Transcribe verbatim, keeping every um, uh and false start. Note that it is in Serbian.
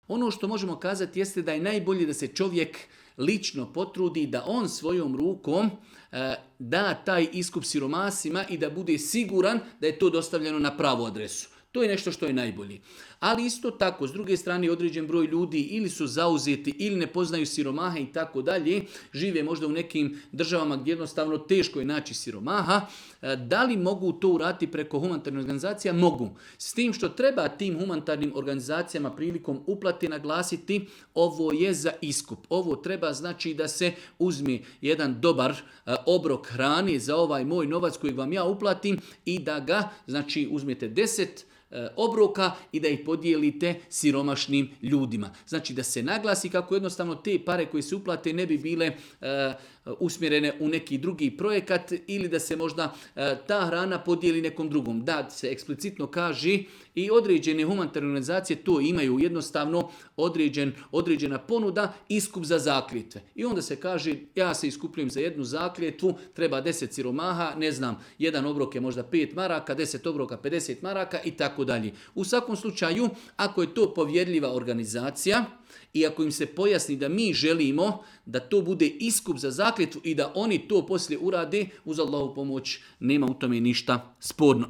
Ono što možemo kazati jeste da je najbolje da se čovjek lično potrudi da on svojom rukom e, da taj iskup siromasima i da bude siguran da je to dostavljeno na pravu adresu. To je nešto što je najbolje. Ali isto tako, s druge strane, određen broj ljudi ili su zauzeti ili ne poznaju siromaha i tako dalje, žive možda u nekim državama gdje jednostavno teško je naći siromaha. Da li mogu to uraditi preko humanitarnih organizacija? Mogu. S tim što treba tim humanitarnim organizacijama prilikom uplate naglasiti, ovo je za iskup. Ovo treba znači da se uzme jedan dobar obrok hrane za ovaj moj novac kojeg vam ja uplatim i da ga, znači uzmete deset obroka i da ih podijelite siromašnim ljudima. Znači da se naglasi kako jednostavno te pare koje se uplate ne bi bile uh, usmjerene u neki drugi projekat ili da se možda uh, ta hrana podijeli nekom drugom. Da se eksplicitno kaže i određene humanitarne organizacije to imaju jednostavno određen, određena ponuda, iskup za zakljetve. I onda se kaže ja se iskupljujem za jednu zakljetvu, treba deset siromaha, ne znam, jedan obrok je možda pet maraka, deset obroka pedeset maraka i tako dalje. U svakom slučaju, ako je to povjerljiva organizacija i ako im se pojasni da mi želimo da to bude iskup za zakljetvu i da oni to poslije urade, uz Allahu pomoć nema u tome ništa sporno.